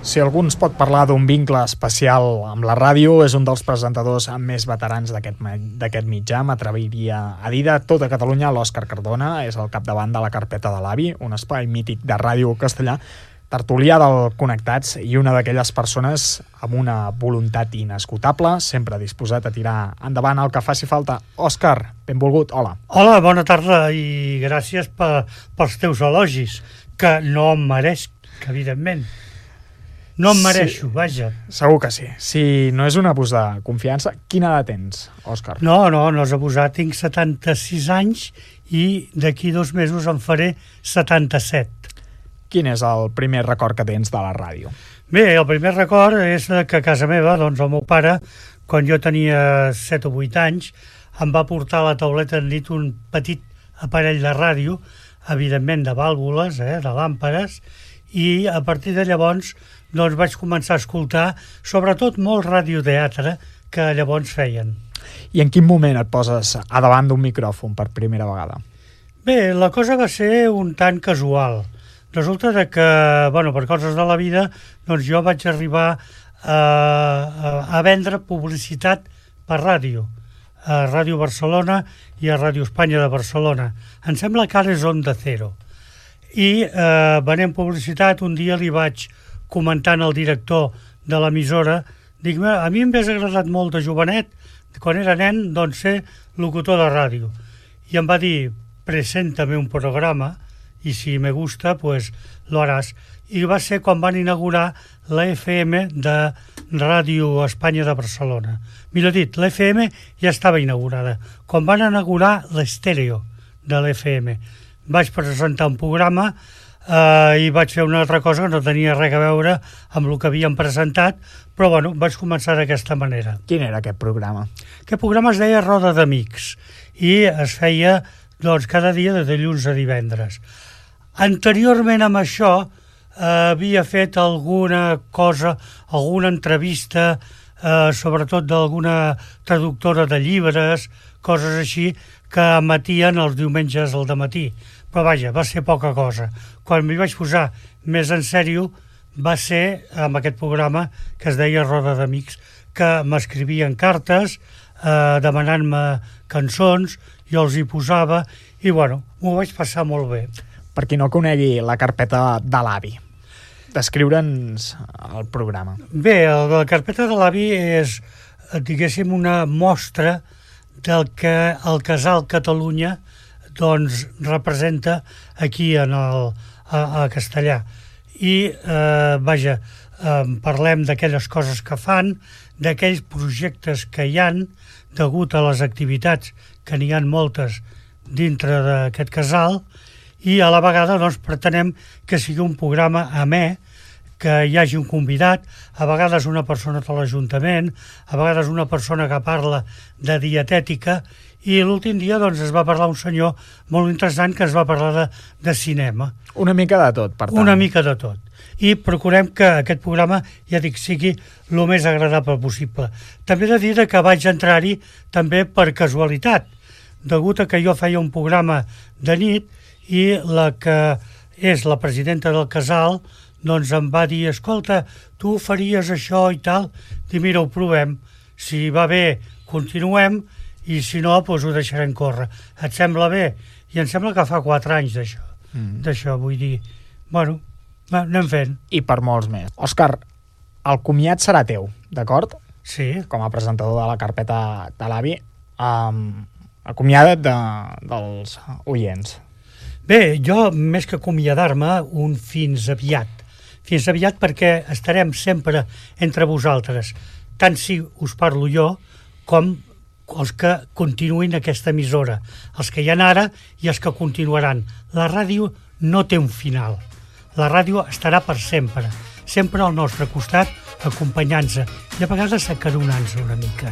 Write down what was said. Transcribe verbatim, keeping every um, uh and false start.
Si algú ens pot parlar d'un vincle especial amb la ràdio, és un dels presentadors més veterans d'aquest mitjà. M'atreviria a dir de tota Catalunya. L'Òscar Cardona és el capdavant de la Carpeta de l'Avi, un espai mític de ràdio castellà, tertulià del Connectats i una d'aquelles persones amb una voluntat inesgotable, sempre disposat a tirar endavant el que faci falta. Òscar, benvolgut, hola. Hola, bona tarda i gràcies per, pels teus elogis, que no em meresc, evidentment. No em mereixo, sí, vaja. Segur que sí. Si no és un abús de confiança, quina edat tens, Òscar? No, no, no és abusat. Tinc setanta-sis anys i d'aquí dos mesos en faré setanta-set. Quin és el primer record que tens de la ràdio? Bé, el primer record és que a casa meva, doncs el meu pare, quan jo tenia set o vuit anys, em va portar a la tauleta de nit un petit aparell de ràdio, evidentment de vàlvules, eh, de làmpades, i a partir de llavors doncs vaig començar a escoltar sobretot molt radioteatre que llavors feien. I en quin moment et poses a davant d'un micròfon per primera vegada? Bé, la cosa va ser un tant casual. Resulta de que, bueno, per coses de la vida, doncs jo vaig arribar a, a, a vendre publicitat per ràdio, a Ràdio Barcelona i a Ràdio Espanya de Barcelona. Em sembla que ara és Onda Cero. I eh, venent publicitat, un dia li vaig comentant al director de l'emissora, dic, a mi em hauria agradat molt de jovenet, quan era nen, doncs ser locutor de ràdio. I em va dir, preséntame un programa, i si me gusta, pues lo harás. I va ser quan van inaugurar la F M de Ràdio Espanya de Barcelona. Millor dit, la F M ja estava inaugurada. Quan van inaugurar l'estèreo de la F M, vaig presentar un programa eh, i vaig fer una altra cosa que no tenia res a veure amb el que havíem presentat, però bueno, vaig començar d'aquesta manera. Quin era aquest programa? Aquest programa es deia Roda d'Amics i es feia doncs, cada dia de dilluns a divendres. Anteriorment amb això eh, havia fet alguna cosa, alguna entrevista, eh, sobretot d'alguna traductora de llibres, coses així, que emetien els diumenges al dematí. Però vaja, va ser poca cosa. Quan m'hi vaig posar més en sèrio va ser amb aquest programa que es deia Roda d'Amics, que m'escrivien cartes eh, demanant-me cançons, jo els hi posava i bueno, m'ho vaig passar molt bé. Per qui no conegui la Carpeta de l'Avi, descriure'ns el programa. Bé, la Carpeta de l'Avi és, diguéssim, una mostra del que el Casal Catalunya doncs, representa aquí en el, a, a Castellà. I, eh, vaja, eh, parlem d'aquelles coses que fan, d'aquells projectes que hi han, degut a les activitats, que n'hi ha moltes dintre d'aquest casal, i a la vegada doncs, pretenem que sigui un programa amè, que hi hagi un convidat, a vegades una persona de l'Ajuntament, a vegades una persona que parla de dietètica, i l'últim dia doncs, es va parlar un senyor molt interessant que es va parlar de, de cinema. Una mica de tot, per tant. Una mica de tot. I procurem que aquest programa, ja dic, sigui el més agradable possible. També he de dir que vaig entrar-hi també per casualitat, degut a que jo feia un programa de nit i la que és la presidenta del casal doncs em va dir, escolta, tu faries això i tal, i mira, ho provem, si va bé continuem i si no, doncs ho deixarem córrer. Et sembla bé? I em sembla que fa quatre anys d'això, mm. d'això, vull dir, bueno, anem fent. I per molts més. Òscar, el comiat serà teu, d'acord? Sí. Com a presentador de la Carpeta de l'Avi, um, acomiada't de, dels oients. Bé, jo, més que acomiadar-me, un fins aviat. Fins aviat perquè estarem sempre entre vosaltres, tant si us parlo jo com els que continuïn aquesta emissora, els que hi ha ara i els que continuaran. La ràdio no té un final. La ràdio estarà per sempre, sempre al nostre costat, acompanyant-se i a vegades acaronant-se una mica.